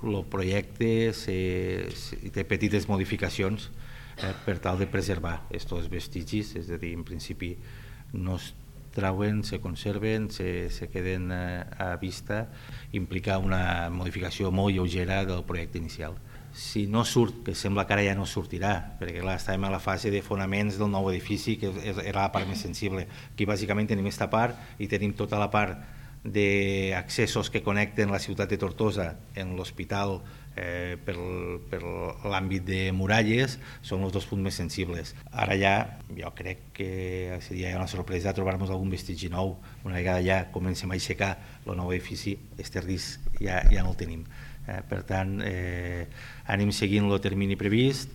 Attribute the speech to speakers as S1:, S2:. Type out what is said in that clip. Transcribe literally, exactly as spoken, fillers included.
S1: El projecte se, se, té petites modificacions eh, per tal de preservar aquests vestigis, és a dir, en principi no es trauen, se conserven, se, se queden eh, a vista, implica una modificació molt lleugera del projecte inicial. Si no surt, que sembla que ara ja no sortirà, perquè clar, estàvem a la fase de fonaments del nou edifici, que era la part més sensible. Aquí bàsicament tenim aquesta part i tenim tota la part d'accessos que connecten la ciutat de Tortosa en l'hospital eh, per, per l'àmbit de muralles, són els dos punts més sensibles. Ara ja, jo crec que seria una sorpresa trobar-nos algun vestigi nou. Una vegada ja comencem a aixecar el nou edifici, este risc ja, ja no el tenim. Eh, per tant, eh, anem seguint el termini previst.